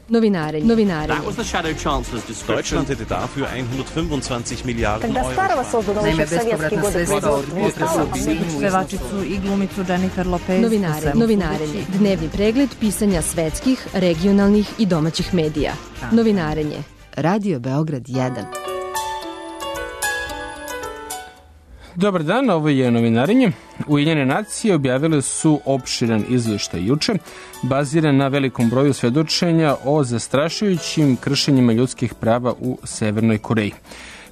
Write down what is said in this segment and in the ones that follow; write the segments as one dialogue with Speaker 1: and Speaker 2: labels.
Speaker 1: Novinarenje.
Speaker 2: Deutschland hätte dafür 125 Milijarden Euro.
Speaker 3: Naime, bespovratna sredstva od potresa u Sinju.
Speaker 4: Pevačicu i glumicu Jennifer Lopez.
Speaker 1: Novinarenje. Dnevni pregled pisanja svetskih, regionalnih i domaćih medija. Novinarenje. Radio Beograd 1.
Speaker 5: Dobar dan, ovo je Novinarenje. Ujedinjene nacije objavile su opširan izveštaj juče, baziran na velikom broju svedočenja o zastrašujućim kršenjima ljudskih prava u Severnoj Koreji.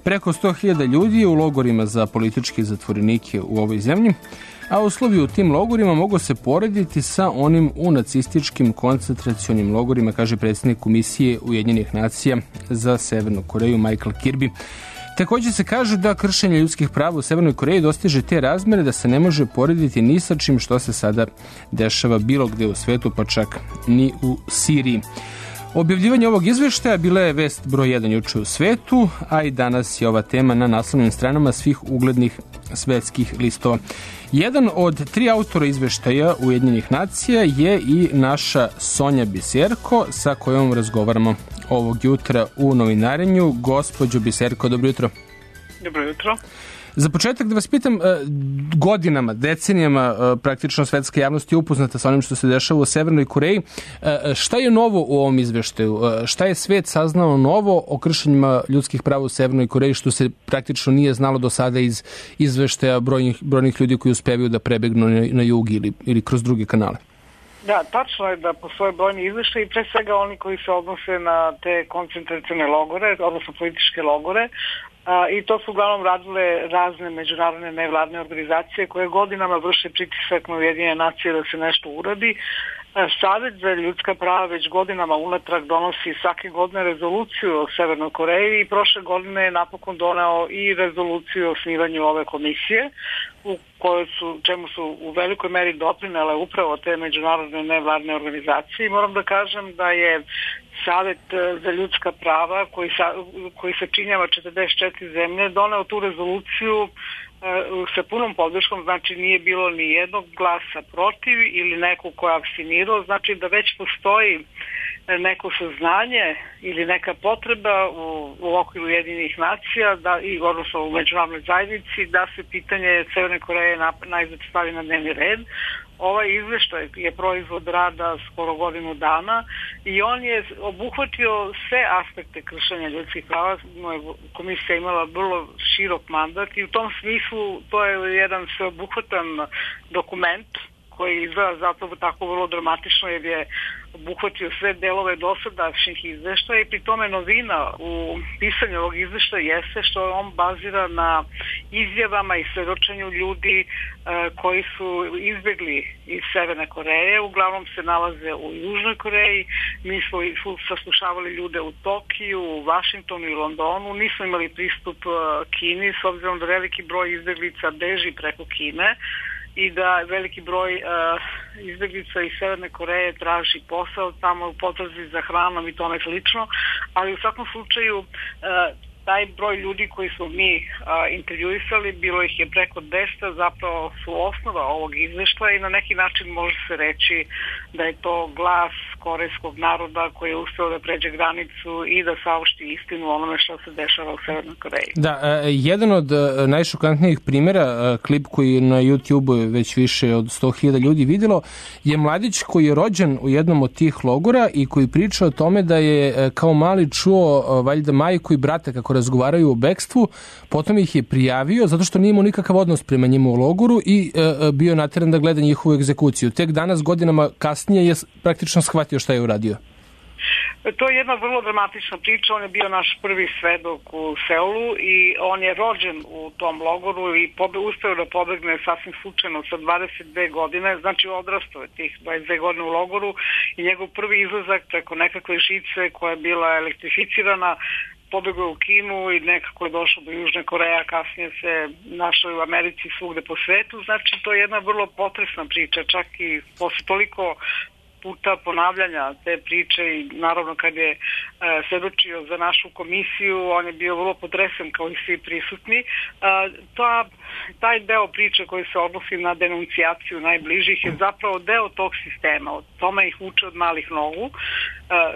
Speaker 5: Preko 100.000 ljudi je u logorima za političke zatvorenike u ovoj zemlji, a uslovi u tim logorima mogu se porediti sa onim u nacističkim koncentracionim logorima, kaže predsjednik Komisije Ujedinjenih nacija za Severnu Koreju Michael Kirby. Također se kaže da kršenje ljudskih prava u Severnoj Koreji dostiže te razmere da se ne može porediti ni sa čim što se sada dešava bilo gde u svetu, pa čak ni u Siriji. Objavljivanje ovog izveštaja bila je vest broj 1 juče u svetu, a i danas je ova tema na naslovnim stranama svih uglednih svetskih listova. Jedan od 3 autora izveštaja Ujedinjenih nacija je i naša Sonja Biserko, sa kojom razgovaramo ovog jutra u Novinarenju. Gospođo Biserko, dobro jutro.
Speaker 6: Dobro jutro.
Speaker 5: Za početak da vas pitam, godinama, decenijama praktično svetska javnost je upoznata sa onim što se dešava u Severnoj Koreji. Šta je novo u ovom izveštaju? Šta je svet saznao novo o kršenjima ljudskih prava u Severnoj Koreji što se praktično nije znalo do sada iz izveštaja brojnih ljudi koji uspevaju da prebegnu na jug ili kroz druge kanale?
Speaker 6: Da, tačno je da postoje brojni izveštaji, pre svega oni koji se odnose na te koncentracione logore, odnosno političke logore, i to su uglavnom radile razne međunarodne nevladne organizacije koje godinama vrše pritisak na Ujedinjene nacije da se nešto uradi. Savet za ljudska prava već godinama unatrag donosi svake godine rezoluciju o Severnoj Koreji i prošle godine je napokon doneo i rezoluciju o osnivanju ove komisije u kojoj čemu su u velikoj meri doprinele upravo te međunarodne nevladne organizacije. I moram da kažem da je Savet za ljudska prava koji se činjava 44 zemlje doneo tu rezoluciju sa punom podrškom, znači nije bilo ni jednog glasa protiv ili nekog ko je apstinirao, znači da već postoji neko saznanje ili neka potreba u okviru Ujedinjenih nacija odnosno u međunarodnoj zajednici da se pitanje Severne Koreje najzad stavi na dnevni red. Ovaj izveštaj je proizvod rada skoro godinu dana i on je obuhvatio sve aspekte kršenja ljudskih prava. Komisija imala vrlo širok mandat i u tom smislu to je jedan sveobuhvatan dokument koji izgleda zato tako vrlo dramatično jer je obuhvatio sve delove dosadašnjih izveštaja i pri tome novina u pisanju ovog izveštaja jeste što on bazira na izjavama i svedočenju ljudi koji su izbjegli iz Severne Koreje, uglavnom se nalaze u Južnoj Koreji. Mi smo saslušavali ljude u Tokiju, u Vašingtonu i Londonu, nismo imali pristup Kini s obzirom da veliki broj izbjeglica beži preko Kine i da veliki broj izbjeglica iz Severne Koreje traži posao tamo u potrazi za hranom i tome slično, ali u svakom slučaju taj broj ljudi koji smo mi intervjuisali, bilo ih je preko 200, zapravo su osnova ovog izveštaja i na neki način može se reći da je to glas korejskog naroda koji je uspeo da pređe granicu i da saopšti istinu onome što se dešava u Severnoj Koreji.
Speaker 5: Da, jedan od najšokantnijih primjera, klip koji je na YouTube već više od 100.000 ljudi vidjelo, je mladić koji je rođen u jednom od tih logora i koji priča o tome da je kao mali čuo valjda majku i brata kako razgovaraju o bekstvu, potom ih je prijavio zato što nije imao nikakav odnos prema njima u logoru i bio nateran da gleda njihovu egzekuciju. Tek danas, godinama kasnije, je praktično shvatio šta je uradio.
Speaker 6: To je jedna vrlo dramatična priča. On je bio naš prvi svedok u Seulu i on je rođen u tom logoru i uspeo da pobegne sasvim slučajno sa 22 godine, znači odrastao je tih 22 godine u logoru i njegov prvi izlazak preko nekakve žice koja je bila elektrificirana pobegao u Kinu i nekako je došao do Južne Koreje, kasnije se našao u Americi svugde po svetu. Znači to je jedna vrlo potresna priča, čak i posle toliko puta ponavljanja te priče i naravno kad je svedočio za našu komisiju, on je bio vrlo potresen kao i svi prisutni. Taj deo priče koji se odnosi na denuncijaciju najbližih je zapravo deo tog sistema. Od tome ih uče od malih nogu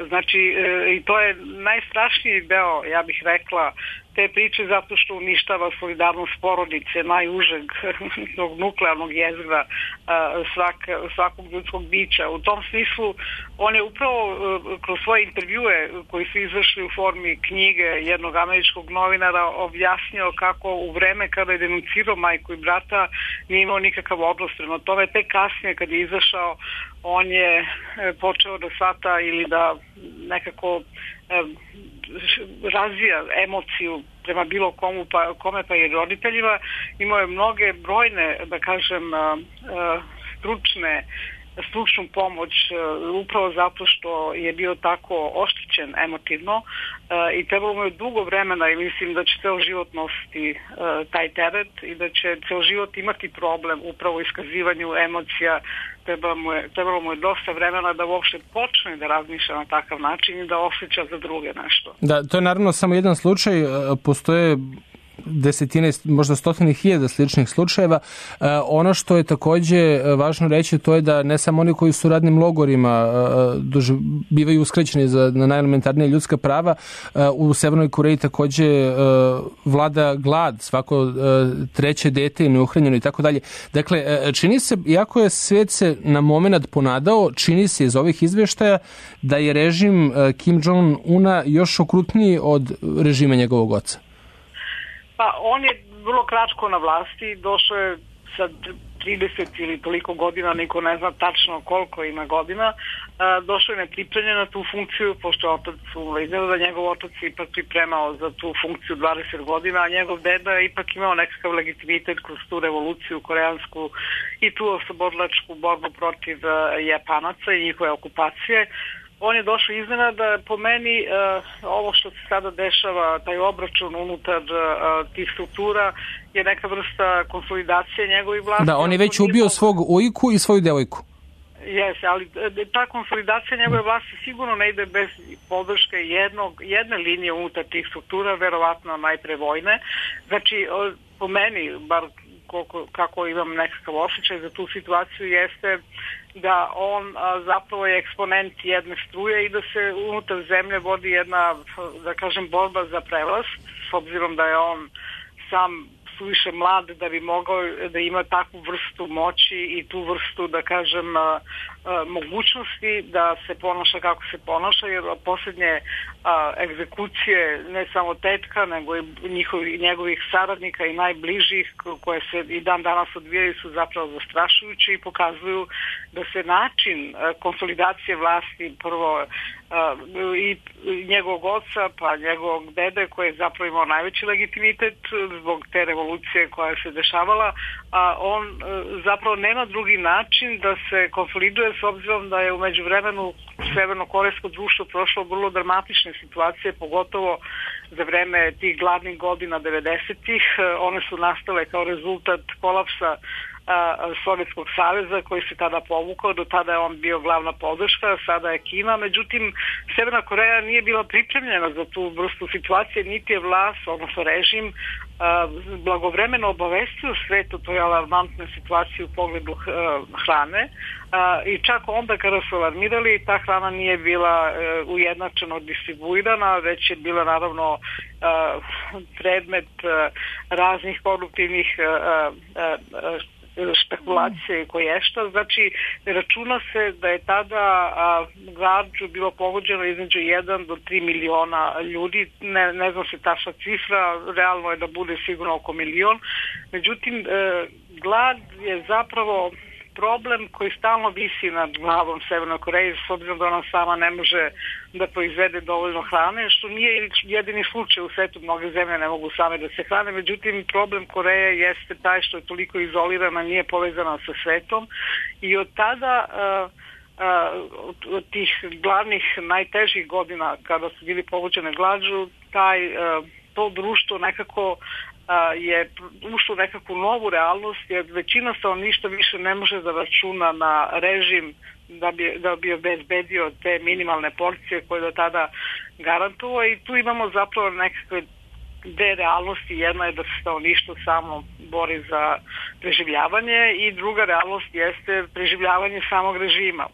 Speaker 6: Znači, i to je najstrašniji deo, ja bih rekla, te priče zato što uništava solidarnost porodice, najužeg tog nuklearnog jezgra svakog ljudskog bića. U tom smislu on je upravo kroz svoje intervjue koji su izašli u formi knjige jednog američkog novinara objasnio kako u vreme kada je denuncirao majku i brata nije imao nikakav odnos prema tome. Tek kasnije kad je izašao on je počeo da shvata ili da nekako razvija emociju prema bilo kome pa i roditeljima. Imao je mnoge brojne, da kažem, stručnu pomoć upravo zato što je bio tako oštećen emotivno i trebalo mu je dugo vremena i mislim da će ceo život nositi taj teret i da će ceo život imati problem upravo u iskazivanju emocija. Trebalo mu je dosta vremena da uopšte počne da razmišlja na takav način i da osjeća za druge nešto.
Speaker 5: Da, to je naravno samo jedan slučaj, postoje desetine, možda stotine hiljada sličnih slučajeva. Ono što je takođe važno reći, to je da ne samo oni koji su u radnim logorima bivaju uskraćeni na najelementarnije ljudska prava, u Severnoj Koreji takođe vlada glad, svako treće dete je neuhranjeno i tako dalje. Dakle, čini se, iako je svet se na moment ponadao, čini se iz ovih izveštaja da je režim Kim Jong-una još okrutniji od režima njegovog oca.
Speaker 6: Pa on je vrlo kratko na vlasti, došao je sa 30 ili toliko godina, niko ne zna tačno koliko ima godina, došao je nepripremljen na tu funkciju, pošto je otac izgleda da njegov otac ipak pripremao za tu funkciju 20 godina, a njegov deda je ipak imao nekakav legitimitet kroz tu revoluciju koreansku i tu oslobodilačku borbu protiv Japanaca i njihove okupacije. On je došao iznenada, po meni ovo što se sada dešava, taj obračun unutar tih struktura je neka vrsta konsolidacije njegovih vlasti.
Speaker 5: Da, on je već ubio svog ujku i svoju devojku.
Speaker 6: Jeste, ali ta konsolidacija njegove vlasti sigurno ne ide bez podrške jedne linije unutar tih struktura, verovatno najpre vojne. Znači, po meni, bar kako imam nekakav osjećaj za tu situaciju, jeste da on zapravo je eksponent jedne struje i da se unutar zemlje vodi jedna, da kažem, borba za prevlast, s obzirom da je on sam suviše mlad da bi mogao da ima takvu vrstu moći i tu vrstu, da kažem, mogućnosti da se ponaša kako se ponaša, jer posljednje egzekucije ne samo tetka, nego i njegovih saradnika i najbližih koje se i dan danas odvijaju su zapravo zastrašujući i pokazuju da se način konsolidacije vlasti prvo i njegovog oca pa njegovog dede koji je zapravo imao najveći legitimitet zbog te revolucije koja se dešavala, a on zapravo nema drugi način da se konsoliduje s obzirom da je u međuvremenu severno-korejsko društvo prošlo vrlo dramatične situacije, pogotovo za vreme tih gladnih godina 90-ih. One su nastale kao rezultat kolapsa Sovjetskog saveza koji se tada povukao, do tada je on bio glavna podrška, sada je Kina, međutim Severna Koreja nije bila pripremljena za tu vrstu situacije, niti je vlast, odnosno režim, blagovremeno obavestio svetu toj alarmantnoj situaciji u pogledu hrane i čak onda kada su alarmirali ta hrana nije bila ujednačeno distribuirana, već je bila naravno predmet raznih koruptivnih špekulacije i koješta. Znači, računa se da je tada glađu bilo pogođeno između 1 do 3 miliona ljudi. Ne znam se tačna cifra, realno je da bude sigurno oko milion. Međutim, glad je zapravo problem koji stalno visi nad glavom Severnoj Koreji, s obzirom da ona sama ne može da proizvede dovoljno hrane, što nije jedini slučaj u svetu, mnoge zemlje ne mogu same da se hrane, međutim problem Koreje jeste taj što je toliko izolirana, nije povezana sa svetom i od tada od tih glavnih najtežih godina kada su bili pogođene glađu, to društvo nekako je ušlo u nekakvu novu realnost, jer većina stanovništva više ne može da računa na režim da bi obezbedio te minimalne porcije koje do tada garantovao i tu imamo zapravo nekakve dve realnosti. Jedna je da se stanovništvo samo bori za preživljavanje i druga realnost jeste preživljavanje samog režima.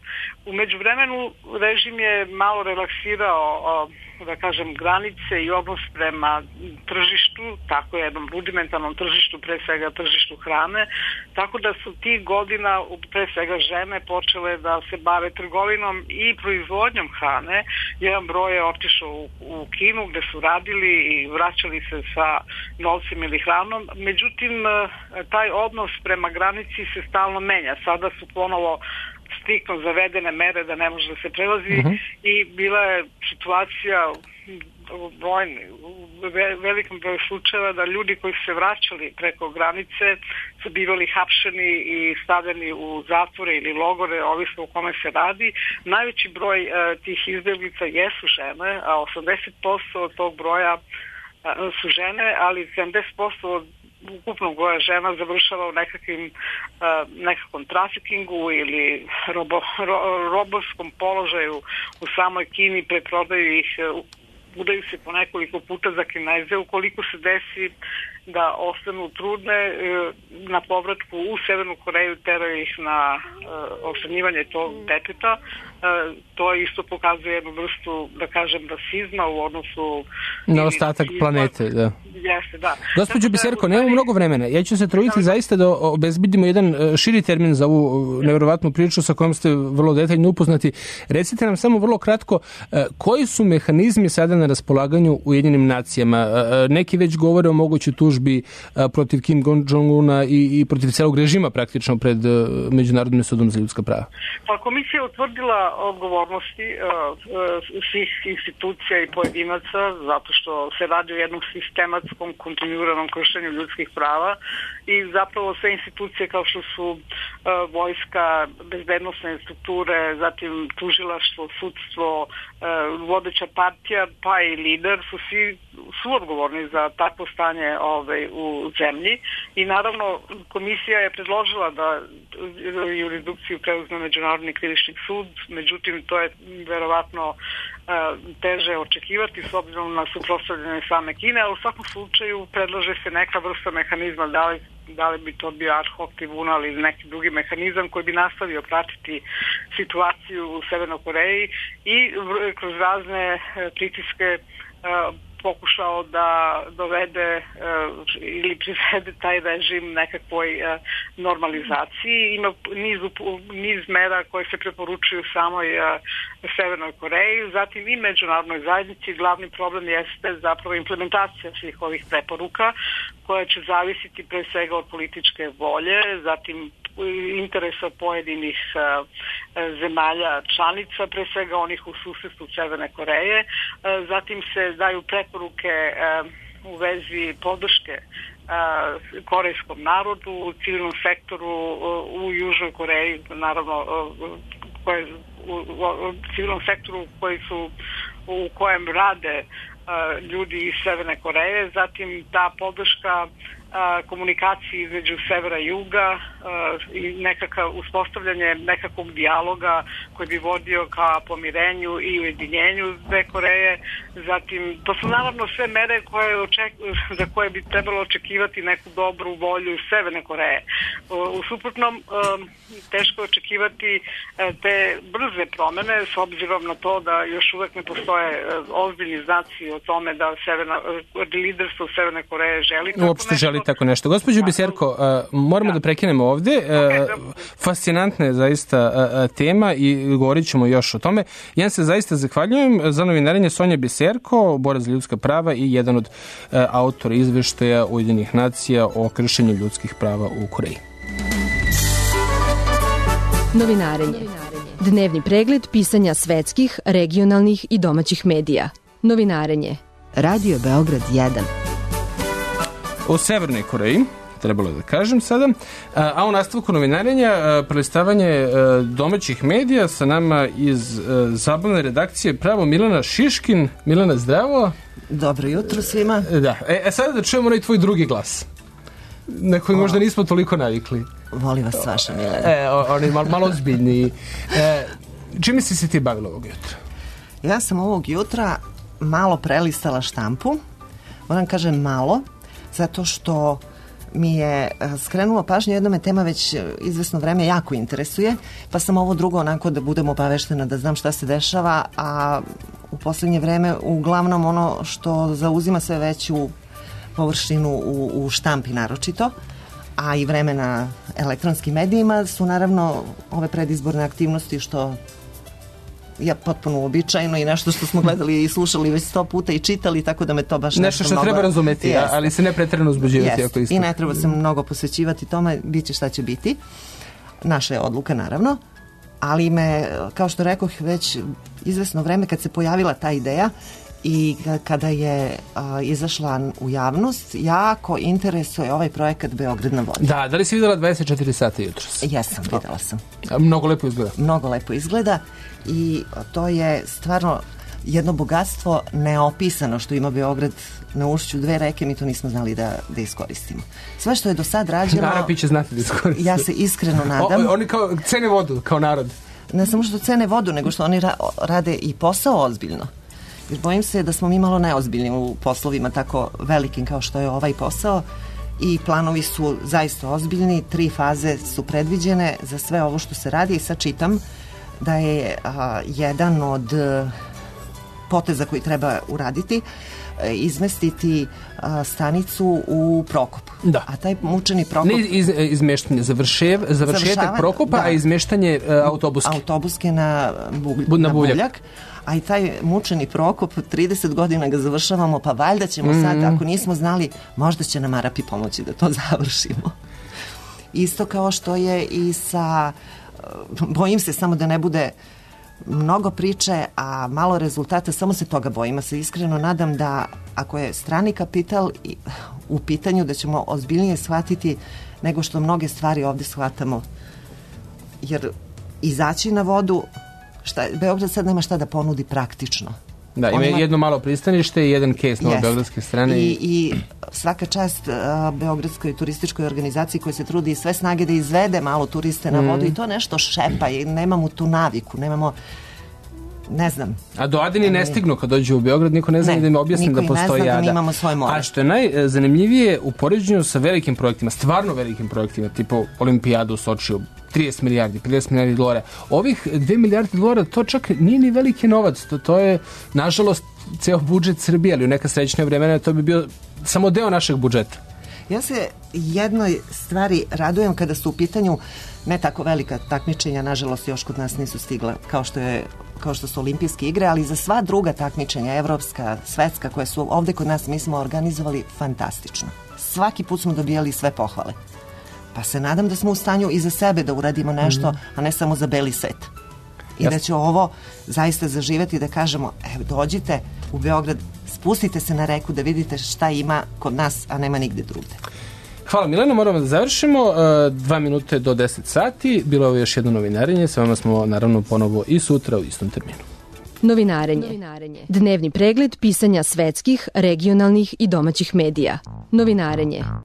Speaker 6: U međuvremenu režim je malo relaksirao da kažem, granice i odnos prema tržištu, tako jednom rudimentarnom tržištu, pre svega tržištu hrane, tako da su tih godina, pre svega žene, počele da se bave trgovinom i proizvodnjom hrane. Jedan broj je otišao u Kinu gde su radili i vraćali se sa novcem ili hranom. Međutim, taj odnos prema granici se stalno menja. Sada su ponovo striktno zavedene mere da ne može da se prelazi i bila je situacija u velikom broju slučajeva da ljudi koji su se vraćali preko granice su bivali hapšeni i stavljeni u zatvore ili logore, ovisno o kome se radi. Najveći broj tih izbeglica jesu žene, a 80% od tog broja su žene, ali 70% od ukupnog broja žena završava u nekakvom trafikingu ili robovskom položaju u samoj Kini, preprodaju ih, udaju se po nekoliko puta za Kineze. Ukoliko se desi da ostanu trudne, na povratku u Severnu Koreju teraju ih na ošranjivanje tog deteta. To isto pokazuje jednu vrstu, da kažem, rasizma u odnosu
Speaker 5: na ostatak planete, da.
Speaker 6: Jeste, da.
Speaker 5: Gospođo Biserko, nemamo mnogo vremena. Ja ću se truditi zaista da obezbedimo jedan širi termin za ovu nevjerovatnu priču sa kojom ste vrlo detaljno upoznati. Recite nam samo vrlo kratko, koji su mehanizmi sada na raspolaganju Ujedinjenim nacijama? Neki već govore o mogućoj tužbi protiv Kim Jong-una i protiv celog režima praktično pred Međunarodnim sudom za ljudska prava.
Speaker 6: Pa komisija je utvrdila odgovornosti svih institucija i pojedinaca zato što se radi o jednom sistematskom kontinuiranom kršenju ljudskih prava i zapravo sve institucije kao što su vojska, bezbednosne strukture, zatim tužilaštvo, sudstvo, vodeća partija pa i lider su odgovorni za takvo stanje u zemlji i naravno komisija je predložila da jurisdikciju preuzme Međunarodni krivični sud, međutim to je verovatno teže očekivati s obzirom na suprotstavljanje same Kine, ali u svakom slučaju predlaže se neka vrsta mehanizma, da li bi to bio ad hoc tribunal ili neki drugi mehanizam koji bi nastavio pratiti situaciju u Severnoj Koreji i kroz razne pritiske pokušao da dovede ili privede taj režim nekakvoj normalizaciji. Ima niz mera koje se preporučuju samoj Severnoj Koreji, zatim i međunarodnoj zajednici. Glavni problem jeste zapravo implementacija svih ovih preporuka koja će zavisiti pre svega od političke volje, zatim interesa pojedinih zemalja članica, pre svega onih u susedstvu Severne Koreje. Zatim se daju preporuke u vezi podrške korejskom narodu, u civilnom sektoru u Južnoj Koreji, naravno u civilnom sektoru u kojem rade ljudi iz Severne Koreje, zatim ta podrška komunikaciji između severa i juga i uspostavljanje nekakvog dijaloga koji bi vodio ka pomirenju i ujedinjenju dve Koreje. Zatim, to su naravno sve mere za koje bi trebalo očekivati neku dobru volju Severne Koreje. U suprotnom, teško očekivati te brze promene s obzirom na to da još uvek ne postoje ozbiljni znaci o tome da liderstvo Severne Koreje želi
Speaker 5: tako nešto. Gospođo Biserko, moramo da prekinemo ovde. Fascinantna je zaista tema i govorit ćemo još o tome. Ja se zaista zahvaljujem za novinarenje Sonja Biserko, borac za ljudska prava i jedan od autora izveštaja Ujedinjenih nacija o kršenju ljudskih prava u Koreji.
Speaker 1: Novinarenje. Dnevni pregled pisanja svetskih, regionalnih i domaćih medija. Novinarenje. Radio Beograd 1.
Speaker 5: O Severnoj Koreji, trebalo je da kažem sada, a u nastavku novinarenja prelistavanje domaćih medija sa nama iz zabavne redakcije pravo Milana Šiškin. Milana, zdravo.
Speaker 7: Dobro jutro svima.
Speaker 5: Da, sada da čujemo onaj tvoj drugi glas, na koji možda nismo toliko navikli.
Speaker 7: Volim vas vaša, Milana.
Speaker 5: On je malo ozbiljniji. Čime si se ti bavila ovog jutra?
Speaker 7: Ja sam ovog jutra malo prelistala štampu, moram kažem malo, zato što mi je skrenulo pažnju, jedna me tema već izvesno vreme jako interesuje, pa sam ovo drugo onako da budem obaveštena, da znam šta se dešava, a u poslednje vreme uglavnom ono što zauzima sve veću površinu u štampi naročito, a i vreme na elektronskim medijima su naravno ove predizborne aktivnosti što je potpuno uobičajeno i nešto što smo gledali i slušali već 100 puta i čitali, tako da me to baš
Speaker 5: nešto što
Speaker 7: mnogo...
Speaker 5: treba razumeti, ali se ne pretjerano uzbuđivati.
Speaker 7: I ne treba se mnogo posvećivati tome, bit će šta će biti. Naša je odluka, naravno, ali me, kao što rekoh, već izvesno vreme kad se pojavila ta ideja i kada je izašla u javnost, jako interesuje ovaj projekat Beograd na vodi.
Speaker 5: Da li si videla 24 sata jutros?
Speaker 7: Jesam, videla sam.
Speaker 5: Mnogo lepo izgleda.
Speaker 7: Mnogo lepo izgleda i to je stvarno jedno bogatstvo neopisano što ima Beograd na ušću 2 reke, mi to nismo znali da iskoristimo. Sve što je do sad rađeno...
Speaker 5: Arapi će znati da iskoristimo.
Speaker 7: Ja se iskreno nadam.
Speaker 5: Oni kao cene vodu, kao narod.
Speaker 7: Ne samo što cene vodu, nego što oni rade i posao ozbiljno. Jer bojim se da smo mi malo neozbiljni u poslovima tako velikim kao što je ovaj posao i planovi su zaista ozbiljni, 3 faze su predviđene za sve ovo što se radi i sad čitam da je jedan od poteza koji treba uraditi izmestiti stanicu u Prokop.
Speaker 5: Da.
Speaker 7: A taj mučeni Prokop...
Speaker 5: Ne izmeštanje, završetak Prokopa, da. A izmeštanje autobuske
Speaker 7: na Buvljak. A i taj mučeni Prokop, 30 godina ga završavamo, pa valjda ćemo sad, ako nismo znali, možda će nam Arapi pomoći da to završimo. Isto kao što je i sa... Bojim se samo da ne bude mnogo priče, a malo rezultata, samo se toga bojim. Ja se iskreno nadam da ako je strani kapital u pitanju, da ćemo ozbiljnije shvatiti nego što mnoge stvari ovdje shvatamo. Jer izaći na vodu, Beograd sad nema šta da ponudi praktično.
Speaker 5: Da, ima jedno malo pristanište i jedan kejs na beogradske strane.
Speaker 7: I svaka čast beogradskoj turističkoj organizaciji koja se trudi sve snage da izvede malo turiste na vodu i to nešto šepa i nemamo tu naviku, nemamo, ne znam.
Speaker 5: A do Adini ne stignu kad dođu u Beograd, niko ne zna da im objasnim da postoji Ada.
Speaker 7: Da mi imamo svoje more.
Speaker 5: A što je najzanimljivije u poređenju sa velikim projektima, stvarno velikim projektima, tipu Olimpijadu u Sočiju, 30 milijardi, 50 milijardi dolara. Ovih 2 milijardi dolara, to čak nije ni veliki novac. To je, nažalost, ceo budžet Srbije, ali u neka srećnija vremena to bi bio samo deo našeg budžeta.
Speaker 7: Ja se jednoj stvari radujem kada su u pitanju ne tako velika takmičenja, nažalost još kod nas nisu stigla kao što su olimpijske igre, ali za sva druga takmičenja, evropska, svetska, koje su ovdje kod nas, mi smo organizovali fantastično. Svaki put smo dobijali sve pohvale. Pa se nadam da smo u stanju i za sebe da uradimo nešto, a ne samo za beli set. I da će ovo zaista zaživeti, da kažemo, evo, dođite u Beograd, spustite se na reku da vidite šta ima kod nas, a nema nigde drugde.
Speaker 5: Hvala Milena, moramo da završimo. 2 minute do 10 sati. Bilo je ovo još jedno novinarenje. S vama smo naravno ponovo i sutra u istom terminu.
Speaker 1: Novinarenje. Dnevni pregled pisanja svetskih, regionalnih i domaćih medija. Novinarenje.